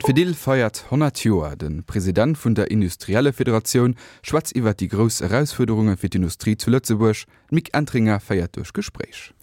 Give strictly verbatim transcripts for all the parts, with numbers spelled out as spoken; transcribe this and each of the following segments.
D'Fedil feiert honnert Joer. De President vun der Industriellefederatioun schwätzt iwwer déi grouss Erausfuerderunge fir d'Industrie zu Lëtzebuerg. D'Mick Entringer féiert duerch d'Gespréich.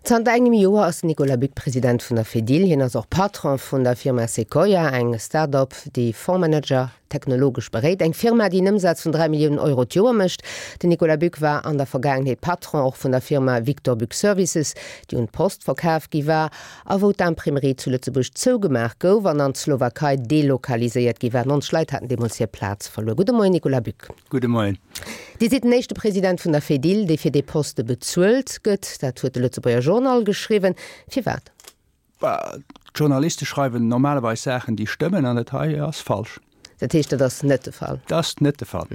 Zanter engem Joer ass den Nicolas Buck President vun der Fedil. Hien ass och Patron vun der Firma Sequoia, eng Start-up, déi Fondsmanager technologesch beréit. Eng Firma, déi en Ëmsaz vun dräi Milliounen Euro d'Joer mécht. Den Nicolas Buck war an der Vergaangenheet Patron och vun der Firma Victor Buck Services, déi un d'Post verkaf gi war a wou d'Imprimerie zu Lëtzebuerg zougemaach gouf an an d'Slowakei delokaliséiert gi war. Nonzeg Leit haten deemools hir Plaz verluer. Gudde Moien, Nicolas Buck. Gudde Moien. Dir sidd den éischte President vun der Fedil, dee fir dee Poste bezuelt gëtt. Dat huet de Lëtzebuerger Journal geschriwwen. Firwat? D'Journaliste schreiwen normalerweis Saachen, déi stëmmen, an dat hei ass falsch. Dat heescht, dat ass net de Fall? Dat ass net de Fall.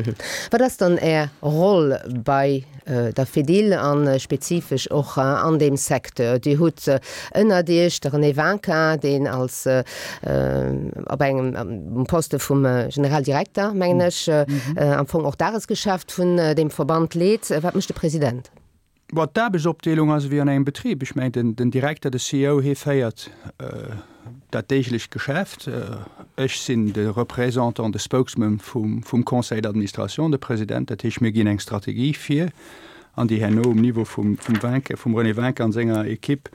Wat ass dann Är Roll bei der Fedil a spezifesch och an deem Secteur? Dir hutt ënnert Iech de René Winkin, deen als op engem Poste vum Generaldirekter, mengen ech, am Fong och d'Dagesgeschäft vun deem Verband leet. Wat mécht de President? Bon, d'Aarbechtsopdeelung ass ewéi an engem Betrib. Ech mengen, den Direkter, de C E O, hie féiert dat deeglecht Geschäft. Ech sinn de Représentant, de Spokesman vum, vum Conseil d'administration, de President. Dat heescht, mir ginn eng Strategie vir, an déi herno um Niveau vum, vum Winck, vum René Winck an senger Equipe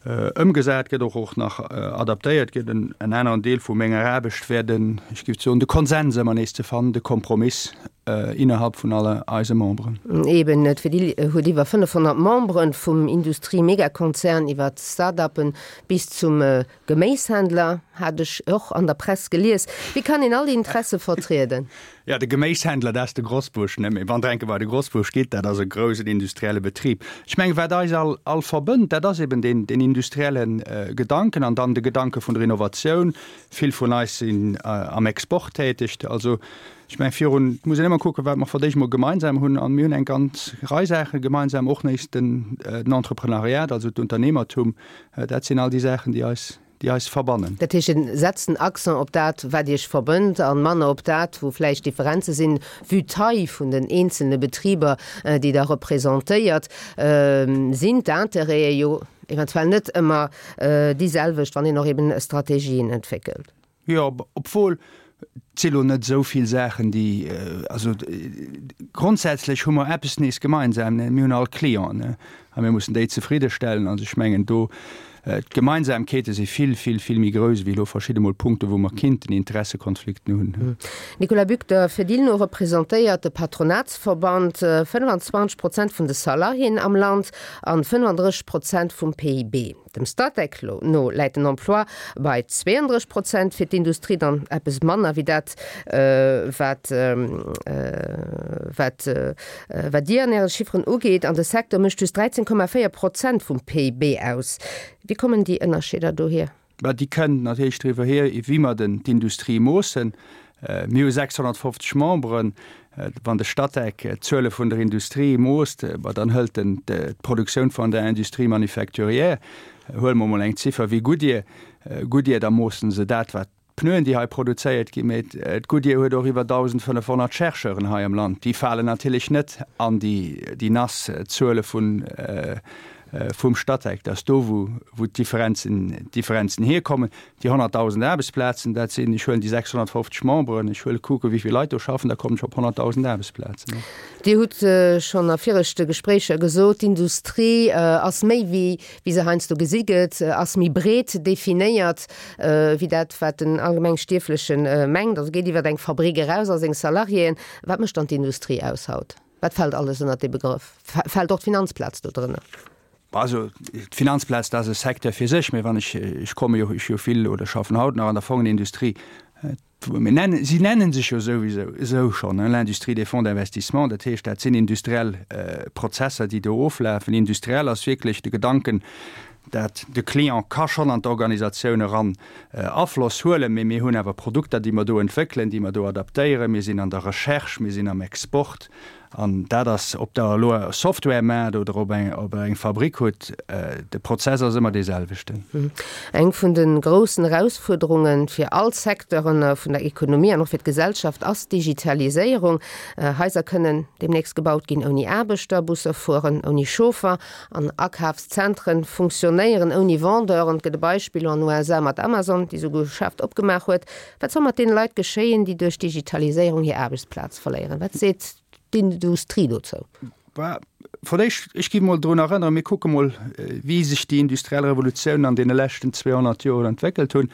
ëmgesat gëtt, och, och nach adaptéiert gëtt. En, en aneren Deel vu menger Aarbecht wär den, ech géif soen, de Konsens ëmmer nees ze fannen, de Kompromiss innerhalb vun alle eise Memberen. Eben, d'Fedil huet iwwer fënnefhonnert Memberen, vum Industrie-Megakonzern iwwer d'Start-uppen bis zum Geméishändler, hat ech och an der Press gelies. Wéi kann een all déi Interesse vertrieden? Jo, de Geméishändler, dat ass de Grosbuerg, ne? Mee wann Der enke bei de Grosbuerg gitt, dat ass e groussen industrielle Betrib. Ech mengen, wat eis all, all verbënnt, dat ass eben deen, deen industrielle Gedanken an dann de Gedanke vun der Innovatioun. Vill vun eis sinn am Export täteg. Also, ech mengen, virun, et muss een ëmmer kucken, wat mer fir d'éischt mol gemeinsam hunn. An mir hunn eng ganz Rei Saache gemeinsam, och nees den, den Entreprenariat, also d'Unternehmertum. Dat sinn all déi Saachen, déi eis, déi eis verbannen. Dat heescht, Dir setzt den Accent op dat, wat Iech verbënnt, a manner op dat, wou vläicht Differenze sinn, vue d'Taille vun den eenzelne Betriber, déi Der representéiert, sinn d'Intérêtë jo eventuell net ëmmer déi selwecht, wann een och eben Strategien entwéckelt. Jo, obwuel, et si lo net esou vill Saachen, déi, also grondsätzlech hu mer eppes nees gemeinsam, mir hunn all Clienten a mir mussen déi zefriddestellen. Also ech mengen do, d'Gemeinsamkeete si vill, vill, vill méi grouss ewéi elo verschidde mol Punkte wou mer kinnten Interessekonflikten hunn. Nicolas Buck, Der Fedil no representéiert de Patronatsverband fënnfanzwanzeg Prozent vun de Salariéen am Land an fënnfandrësseg Prozent vum P I B. Dem Statec no läit den Emploi bei zweeëndrësseg Prozent, fir d'Industrie dann eppes manner wéi dat, wat wat wat Dir an Äre Chifferen ugeet. An de Secteur mécht just dräizéng Komma véier Prozent vum P I B aus. Wéi kommen déi Ënnerscheeder dohier? Bah, déi kënnen natierlech driwwer hier, wéi mer den d'Industrie moossen. Mir hu sechshonnertfofzeg Memberen. Wann de Statec d'Zuele vun der Industrie moosst, bah, dann hëlt en d'Produktioun vun der Industrie manufacturière. Huele mer emol eng Ziffer wéi Goodyear. Goodyear, da moosse se dat, wat d'Pneuen, déi hei produzéiert ginn. Mee d'Goodyear huet och iwwer dausendfënnefhonnert Chercheuren hei am Land. Déi falen natierlech net an déi nass Zuele vun vum Statec, dat ass do, wou d'Differenzen, d'Differenzen hierkommen. Déi honnertdausend Aarbechtsplazen, dat sinn, ech huelen déi sechshonnertfofzeg Memberen, ech huele kucke wéi vill Leit do schaffen, da kommen ech op honnertdausend Aarbechtsplazen. Dir hutt schonn a viregte Gespréicher gesot, d'Industrie ass méi wéi wéi se heiansdo gesi gëtt, ass méi breet definéiert wéi dat, wat den allgemeng Stierfleche mengt, also geet iwwer eng Fabrik eraus a seng Salariéen. Wat mécht dann d'Industrie aus haut? Wat fält alles ënnert dee Begrëff? Fält och d'Finanzplaz do drënner? Also d'Finanzplaz, dat ass e Secteur fir sech, mä wann ech, ech komme jo, ech jo vill oder schaffen haut nach an der Fongenindustrie, mir nennen, si nennen sech jo souwisou esou schonn, hein, l'industrie des fonds d'investissement, dat heescht, dat sinn industriell Prozesser, déi do oflafen. Industriell ass wierklech de Gedanken, dat de Client ka schonn an d'Organisatioun eran Afloss huelen, mä mir hunn awer Produkter, déi mer do entwéckelen, déi mer do adaptéieren. Mir sinn an der Recherche, mir sinn am Export. An dat ass, ob Der elo Software maacht oder ob eng, ob Der eng Fabrik hutt, de Prozess ass ëmmer dee selwechten. Eng vun de groussen Erausfuerderunge fir all Secteure vun der Ekonomie an och fir d'Gesellschaft ass d'Digitaliséierung. Haiser kënnen deemnächst gebaut ginn ouni Aarbechter, Busser fueren ouni Chauffer an Akafszentren funktionéieren ouni Vendeuren. Et gëtt e Beispill an den U S A mat Amazon, déi esouguer e Geschäft opgemaach huet. Wat soll mat deene Leit geschéien, déi duerch d'Digitaliséierung hir Aarbechtsplaz verléieren? Wat seet d'Industrie dozou? Bah, vläicht, ech gi mol drun erënneren, mir kucke mol, wéi sech déi industriell Revolutioun an deene leschten zweehonnert Joer entwéckelt hunn.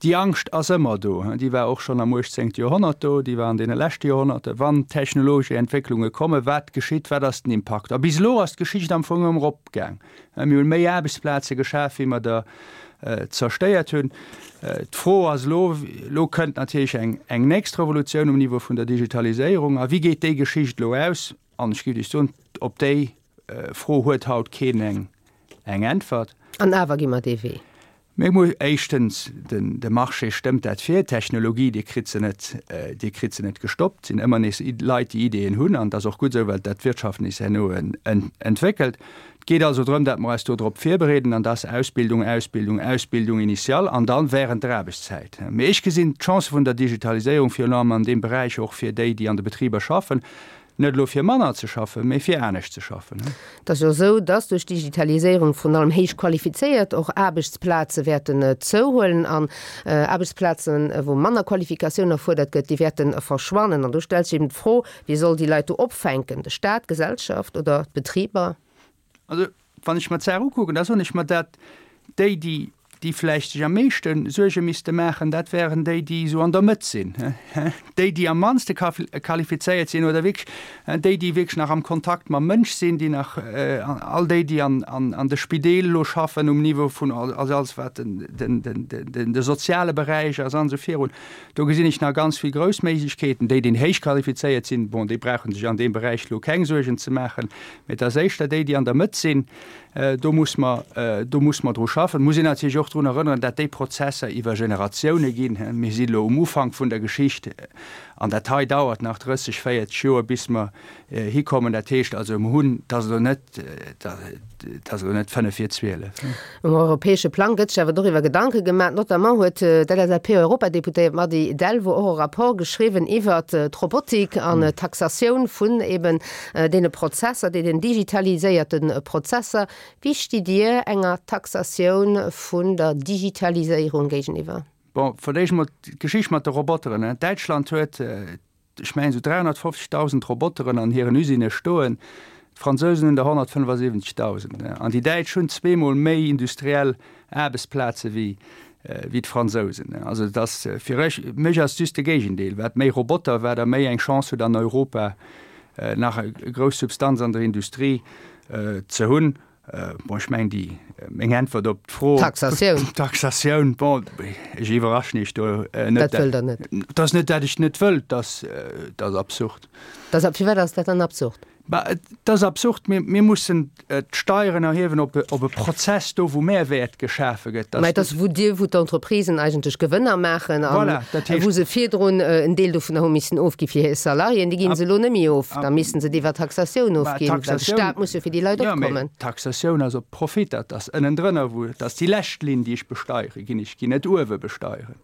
Déi Angscht ass ëmmer do, déi war och schonn am uechtzéngte Joerhonnert do, déi war an deene leschte Joerhonnerte. Wann technologesch Entwécklunge kommen, wat geschitt, wat ass den Impakt? A bis elo ass d'Geschicht am Fong ëmmer eropgaang. Mir hunn méi Aarbechtsplaze geschaf, wéi mer der zerstéiert hunn. D'Fro ass elo, elo kënnt natierlech eng, eng nächst Revolutioun um Niveau vun der Digitaliséierung, a wéi geet déi Geschicht elo aus? An ech géif lech soen, op déi Fro huet haut keen eng, eng Äntwert. An awer gi mer dee Wee. Mir mu éischtens, den, de Marché stëmmt dat vir, d'Technologie, Dir kritt se net, Dir kritt se net gestoppt, et sinn ëmmer nees Leit, déi Ideeën hunn, an dat ass och gutt esou, well dat d'Wirtschaft nees herno entwéckelt. Et geet also drëm, datt mer eis do drop virbereeden, an dat ass Ausbildung, Ausbildung, Ausbildung initiale an dann während der Aarbechtszäit. Mee ech gesinn d'Chance vun der Digitaliséierung virun allem an deem Beräich och fir déi, déi an de Betriber schaffen, net elo fir manner ze schaffen, mee fir anescht ze schaffen. Et ass jo esou, dass duerch d'Digitaliséierung vrun allem héich qualifizéiert och Aarbechtsplaze wäerten zouhuelen an Aarbechtsplazen, wou manner Qualifikatioun erfuerdert gëtt, déi wäerte verschwannen. An do stellt sech eben d'Fro, wie soll déi Leit do opfänken? De Staat, d'Gesellschaft oder d'Betriber? Also, wann ech mer d'Saach ukucken, da soen ech mer, dat déi, déi, déi vläicht sech am meeschte Suerge misste maachen, dat wären déi, déi esou an der Mëtt sinn, déi, déi am mannste qualifizéiert sinn oder wierklech déi, déi wierklech nach am Kontakt mam Mënsch sinn, déi nach, all déi, déi an, an, an de Spideel elo schaffen um Niveau vun, also alles wat den, den, den, den, de soziale Beräich ass an esou virun. Do gesinn ech nach ganz vill grouss Méiglechkeeten. Déi, déi héich qualifizéiert sinn, bon, déi brauchen sech an deem Beräich elo keng Suergen ze maachen, mä et ass éischter déi, déi an der Mëtt sinn, do muss mer, do muss mer dru schaffen. Muss een natierlech och drun erënneren, dat déi Prozesser iwwer Generatioune ginn. Mir sinn elo um Ufank vun der Geschicht an dat hei dauert nach drësseg, véierzeg Joer, bis mer hikommen. Dat heescht also, mir hunn, dat ass elo net, dat ass elo net fënnef vir zwielef. Um europäesche Plang gëtt sech awer doriwwer Gedanke gemaach. Notamment huet d'L S A P-Europadeputéiert Mady Delvaux och e Rapport geschriwwen iwwer d'Robotik an d'Taxatioun vun eben deene Prozesser, deenen digitaliséierte Prozesser. Wéi stitt Dir enger Taxatioun vun der Digitaliséierung géigeniwwer? Bon, fir d'éischt mol d'Geschicht mat de Roboteren. Däitschland huet, ech mengen, esou dräihonnertfofzegdausend Roboteren an hiren Usinne stoen. D'Fransousen hunn der honnertfënnefasiwwenzegdausend. An déi Däitsch hunn zweemol méi industriell Aarbechtsplaze wéi, wéi d'Fransousen. Also et ass fir ech, mech ass just de Géigendeel. Wat méi Roboter, wat der méi eng Chance hutt an Europa nach e grouss Substanz an der Industrie ze hunn. Bon, ech mengen, déi, meng Äntwert op d'Fro. Taxatioun. Taxatioun, bon, ech iwwerraschen Iech do net. Dat wëllt Der net. Dat ass net, dat ech net wëll, dat ass, dat ass absurd. Dat ass, firwat ass dat dann absurd? Bah, et ass absurd, mir, mir mussen d'Steieren erhiewen op e, op e Prozess do, wou Mehrwäert geschafe gëtt. Mä et ass, wou Dir, wou d'Entreprisen eigentlech Gewënner maachen an Voilà, dat heescht wou se virdrun en Deel dovunner hu missen ofgi fir hir Salariéen, déi ginn se elo net méi of. Da missten se et iwwer Taxatioun Bah, ofginn, well de Taxatioun Staat muss jo fir déi Leit Ja, mä opkommen. Taxatioun ass op Profit, dat ass ënnendrënner, wou, dat ass déi lescht Linn, déi ech besteiere ginn. Ech ginn net uewe besteieren.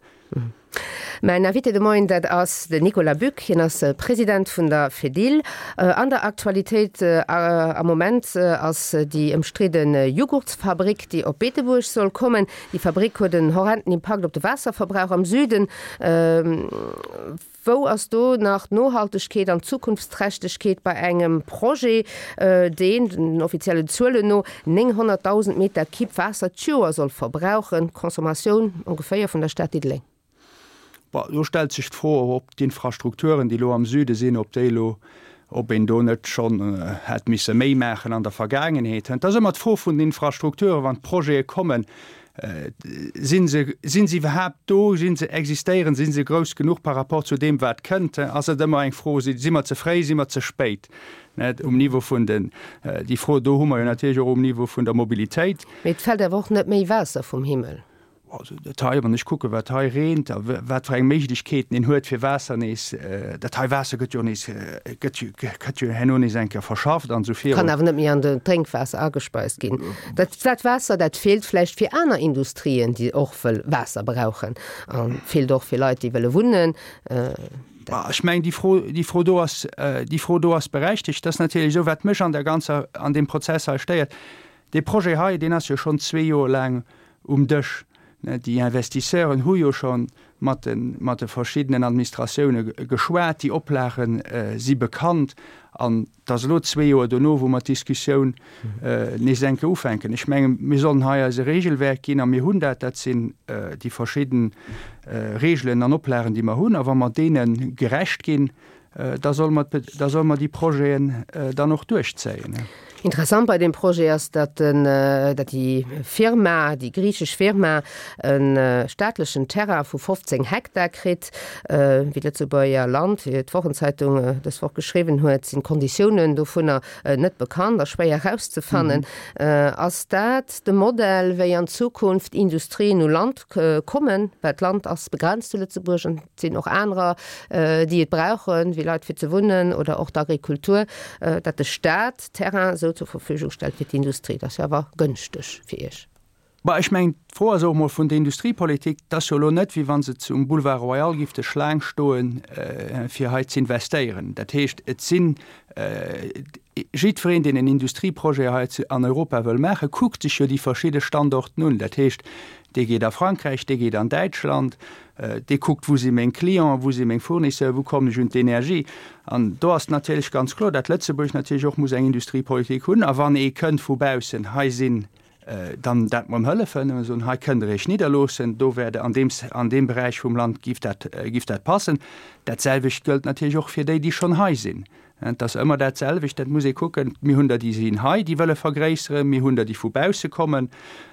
Mäin Invité de Moien, dat ass den Nicolas Buck. Hien ass President vun der Fedil. An der Aktualitéit am Moment ass déi ëmstridde Jughurtsfabrik, déi op Beetebuerg soll kommen. Déi Fabrik huet en horrenden Impakt op de Waasserverbrauch am Süden. Wou ass do nach d'Nohaltegkeet an d'Zukunftsträchtegkeet bei engem Projet, deen, den offiziellen Zuelen no, nénghonnertdausend Meter Kibb Waasser d'Joer soll verbrauchen, Consommatioun ongeféier vun der Stad Diddeleng? Bon, do stellt sech d'Fro, ob d'Infrastrukturen, déi elo am Süde sinn, ob déi elo, ob een do net schonn hätt misse méi maachen an der Vergaangenheet. Et ass ëmmer d'Fro vun den Infrastrukturen, wann d'Projete kommen, sinn se, sinn se iwwerhaapt do, sinn se, existéieren, sinn se grouss genuch par rapport zu deem, wat kënnt? Ass et ëmmer eng Fro, si, si mer ze fréi, si mer ze spéit? Net um Niveau vun den, déi Fro do hu mer jo natierlech och um Niveau vun der Mobilitéit. Mee et fält awer och net méi Waasser vum Himmel. Also dat hei, wann ech kucken, wat hei reent a wat fir eng Méiglechkeeten een huet fir Waasser nees, dat hei Waasser gëtt jo nees, gëtt jo, gëtt jo herno nees eng Kéier verschafft an esou virun. Kann awer net méi an den Drénkwaasser agespeist ginn. Dat, dat Waasser, dat feelt vläicht fir aner Industrien, déi och wëll Waasser brauchen a feelt och fir Leit, déi wëlle wunnen. Dat. Ech mengen, déi Fro, déi Fro do ass, déi Fro do ass berechtigt. Dat ass natierlech esou, wat mech an der ganzer, an deem Prozess hei stéiert, Dee Projet hei, deen ass jo schonn zwee Joer laang um Dësch. Déi Investisseuren hu jo scho mat de, mat de verschiddenen Administratioune geschwat. Déi Oplage si bekannt. An et ass elo zwee Joer dono, wou mer d'Diskussioun nees eng Kéier ufänken. Ech mengen, mir sollen hei eis e Regelwerk ginn, a mir hunn dat. Dat sinn déi verschidden Regelen an Oplagen, déi mer hunn. A wa mer deene gerecht ginn, da solle mer, da solle mer déi Projeten dann och duerchzéien. Interessant bei deem Projet ass, datt den, datt déi Firma, déi griichesch Firma e staatlechen Terrain vu fofzéng Hektar kritt. Wéi d'Lëtzebuerger Land, wéi d'Wochenzeitung dës Woch geschriwwen huet, sinn d'Konditiounen dovunner net bekannt a schwéier erauszefannen. Ass dat de Modell, wéi an Zukunft Industrien u Land kommen? Well d'Land ass begrenzt zu Lëtzebuerg an et sinn och anerer, déi et brauchen, wéi Leit fir ze wunnen oder och d'Agrikultur, datt de Staat Terrain esou zur Verfügung stellt fir d'Industrie. Dat ass jo awer gënschteg fir Iech. Bah, ech mengen, d'Fro ass och emol vun der Industriepolitik. Et ass jo elo net, wéi wa se um Boulevard Royal gifte Schlaang stoen, fir hei z'investéieren. Dat heescht, et sinn, jiddwereen, deen en Industrieprojet hei an Europa wëll maachen, kuckt sech jo déi verschidde Standorten un. Dat heescht, dee geet a Frankräich, dee geet an Däitschland, dee kuckt, wou si meng Clienten, wou si meng Fournisseuren, wou kommen ech un d'Energie. An do ass natierlech ganz kloer, datt Lëtzebuerg natierlech och muss eng Industriepolitik hunn. A wann ee kënnt vu baussen, hei sinn dann dat mer em hëllefen, a soen, hei kënnt Der Iech nidderloossen, do wär an deem, an deem Beräich vum Land giff dat, giff dat passen. Dat selwecht gëllt natierlech och fir déi, déi schonn hei sinn. Et ass ëmmer dat selwecht, dat muss ee kucken. Mir hunn der, déi sinn hei, déi wëlle vergréisseren, mir hunn der, déi vu bausse kommen.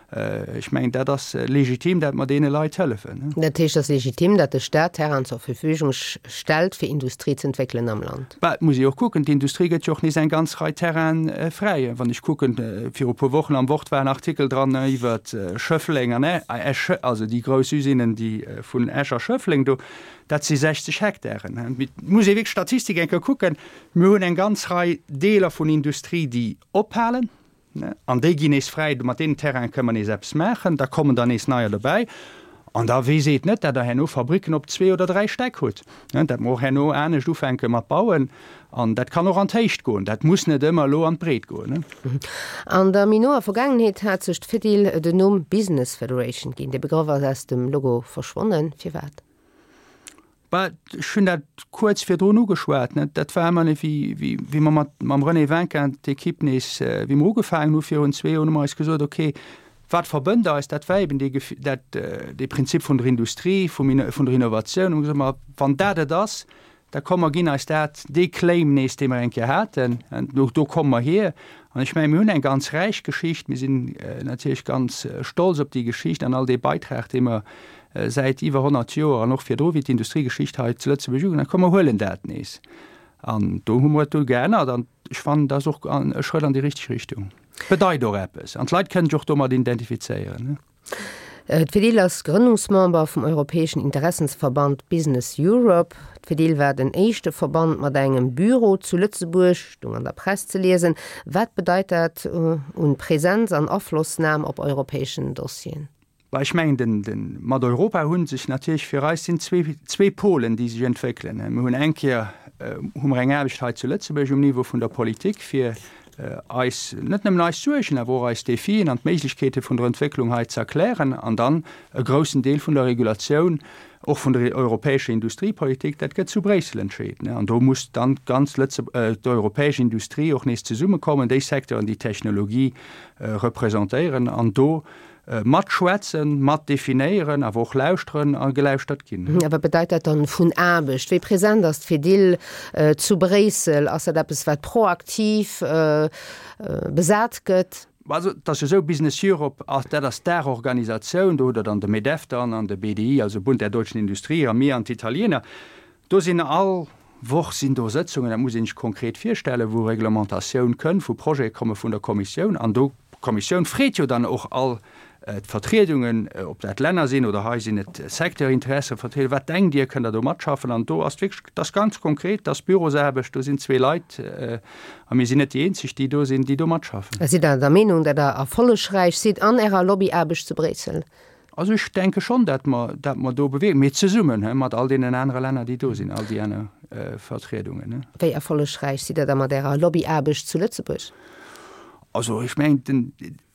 Ech mengen, dat ass legitim, dat mer deene Leit hëllefen. Dat heescht, et ass legitim, datt de Staat Terrainen zur Verfügung stellt, fir Industrie ze entwéckelen am Land? Bah, et muss ee och kucken, d'Industrie gëtt jo och nees eng ganz Rei Terraine fräi. Wann ech kucken, viru e puer Wochen am Wort war en Artikel dran iwwer Schëffleng an Esch, also déi grouss Usinen, déi vun Esch a Schëffleng do, dat si sechzeg Hektaren. Et muss ee wierklech d'Statistik eng Kéier kucken. Mir hunn eng ganz Rei Deeler vun Industrie, déi ophalen. An déi ginn nees fräi, mat deenen Terraine kënnen mer nees eppes maachen, da kommen der nees neier dobäi. An da weess eet net, dat Der herno Fabricken op zwee oder dräi Stäck hutt, dat mer och herno anescht ufänke mat bauen. An dat kann och an d'Héicht goen, dat muss net ëmmer elo an d'Breet goen. An der méi noer Vergaangenheet hat sech d'Fedil den Numm Business Federation ginn. Dee Begrëff ass aus dem Logo verschwonnen. Firwat? Bah, ech hunn dat kuerz virdrun ugeschwat, net? Dat war ëmmer net, wéi, wéi, wéi mer mat, mam René Winkin d'Ekipp nees, wéi mer ugefaangen hu virun zwee Joer, hu mer eis gesot, okay, wat verbënnt eis? Dat war eben dee Gef-, dat, dee Prinzip vun der Industrie, vum, vun der Innovatioun. Hu mer gesot, ma wann dat et ass, da komm mer ginn eis dat, dee Claim nees, dee mer eng Kéier haten, do, do komme mer hier. An ech mengen, mir hunn eng ganz räich Geschicht. Mir sinn natierlech ganz stolz op déi Geschicht an all dee Beitrag, dee mer säit iwwer honnert Joer an och virdru, wéi d'Industriegeschicht hei zu Lëtzebuerg ugefaangen huet, komm mer huelen dat nees. An do hu mer et du geännert an ech fannen, dat ass och e Schrëtt an déi richteg Richtung. Bedeit och eppes an d'Leit kënnen sech och domat identifizéieren. D'Fedil ass Grënnungsmember vum europäeschen Interessensverband Business Europe. D'Fedil war den éischte Verband mat engem Büro zu Lëtzebuerg, stoung an der Press ze liesen. Wat bedeit dat un Präsenz an Aflossnam op europäeschen Dossieren? Bah, ech mengen, den, den, mat Europa hu sech natierlech fir eis sinn zwee, zwee Polen, déi sech entwéckelen. Mir hunn eng Kéier hu mer eng Aarbecht hei zu Lëtzebuerg um Niveau vun der Politik, fir eis, net nëmmen eis Suergen, awer och eis Defien an d'Méiglechkeete vun der Entwécklung hei ze erklären, an dann e groussen Deel vun der Regulatioun, och vun der europäescher Industriepolitik, dat gëtt zu Bréissel entscheet. An do muss dann d'ganz Lëtze, d'europäesch Industrie och nees zesummekommen, déi Secteuren, déi d'Technologie representéieren, an do Matschwätzen, mat definéieren, awer och lauschteren a gelauschtert ginn. A wat bedeit dat dann vun Aarbecht? Wéi present ass d'Fedil zu Bréissel? Ass dat eppes, wat proaktiv besat gëtt? Also et ass jo esou, Business Europe, dat ass d'Daachorganisatioun, do hutt Der dann de Medef dann an de B D I, also Bund der deutschen Industrie, a mir an d'Italiener. Do sinn all Woch sinn do Sëtzungen, dat muss een sech konkret virstellen, wou Reglementatioun kënn, wou Projete komme vun der Kommissioun. An do, d'Kommissioun freet jo dann och all d'Vertriedungen, ob dat Länner sinn oder hei sinn et Secteurinteressevertrieder, wat denkt Dir, kënnt Der do matschaffen? An do ass wierklech, dat ass ganz konkret, dat ass Bürosaarbecht, do sinn zwee Leit, a mir sinn net déi eenzeg, déi do sinn, déi do matschaffen. Sidd Der der Meenung, datt Der erfollegräich sidd an Ärer Lobbyaarbecht zu Bréissel? Also ech denke schonn, datt mer, datt mer do bewierken, mee zesummen, he, mat all deenen anere Länner, déi do sinn, all déi aner Vertriedungen, he. Wéi erfollegräich sidd Der da mat Ärer Lobbyaarbecht zu Lëtzebuerg? Also ech mengen, den,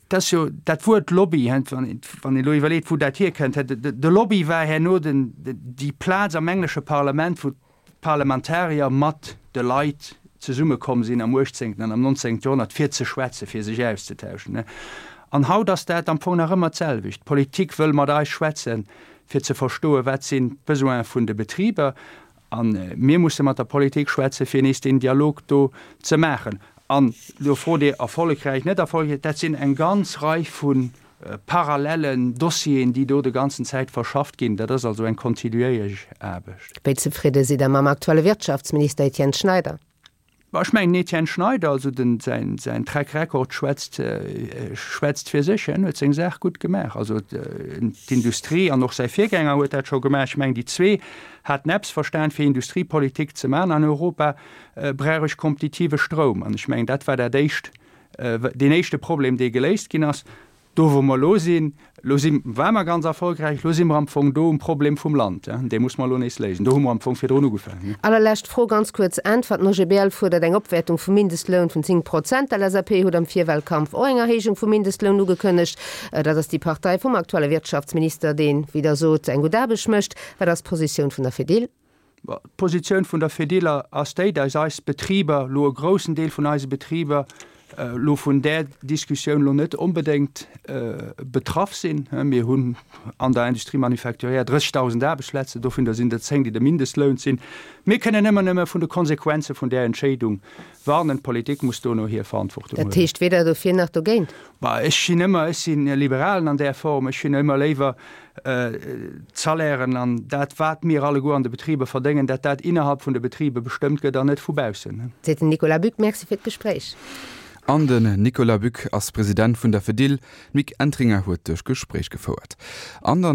dat ass jo dat Wuert Lobby, he, wann een, wann een elo iwwerleet, wou dat hierkënnt, he, de, de Lobby war herno den, déi Plaz am englesche Parlament, wou d'Parlamentarier mat de Leit zesummekomm sinn am uechtzéngten an am nonzéngte Joerhonnert, fir ze schwätzen, fir sech auszetauschen. An haut ass dat am Fong nach ëmmer d'selwecht. D'Politik wëll mat eis schwätzen, fir ze verstoen, wat sinn d'Besoine vun de Betriber. A mir musse mat der Politik schwätzen, fir nees deen Dialog do ze maachen. An elo frot Dir, erfollegräich, net erfollegräich, dat sinn eng ganz Rei vu parallellen Dossieren, déi do de ganzen Zäit verschafft ginn. Dat ass also eng kontinuéierlech Aarbecht. Wéi zefridde sidd Der mam aktuelle Wirtschaftsminister Etienne Schneider? Bon, ech mengen, den Etienne Schneider, also den, säin, säin Track Record schwätzt, schwätzt fir sech. Hien huet seng Saach gutt gemaach. Also d'Industrie an och säi Virgänger huet dat scho gemaach. Ech mengen, déi zwee haten eppes verstan, fir Industriepolitik ze maachen an Europa brauch ech kompetitive Stroum. An ech mengen, dat war dat éischt, deen éischte Problem, dee geléist ginn ass. Do wou mer elo sinn, elo si ware mer ganz erfolgräich, elo si mer am Fong do um Problem vum Land, dee muss mer elo nees léisen. Do hu mer am Fong virdrun ugefaangen. Allerlescht Fro, ganz kuerz Äntwert, Den OGBL fuerdert eng Opwäertung vum Mindestloun vun zéng Prozent. D'LSAP huet am Virwahlkampf och eng Erhéijung vum Mindestloun ugekënnegt. Dat ass déi Partei vum aktuelle Wirtschaftsminister, deen, wéi Der sot, eng gutt Aarbecht mécht. Wat ass d'Positioun vun der Fedil? D'Positioun vun der Fedil ass déi, dass eis Betriber, elo e groussen Deel vun eise Betriber, elo vun där Diskussioun elo net onbedéngt betraff sinn. Mir hunn an der Industrie manufacturière drëssegdausend Aarbechtsplazen, dovunner sinn der zéng, déi de Mindestloun sinn. Mir kënnen ëmmer nëmme vun de Konsequenze vun där Entscheedung warnen. D'Politik muss dono hir Verantwortung Dat huelen. heescht weder dofir nach dogéint? Bah, ech sinn ëmmer, ech sinn e Liberalen an där Form, ech hunn ëmmer léiwer d'Salairen an dat, wat mir alleguer an de Betriber verdéngen, dat dat innerhalb vun de Betriber bestëmmt gëtt an net vu baussen. Seet den Nicolas Buck. Merci fir d'Gespréich. An den Nicolas Buck ass President vun der Fedil. D'Mick Entringer huet duerch Gespréich gefouert. An der.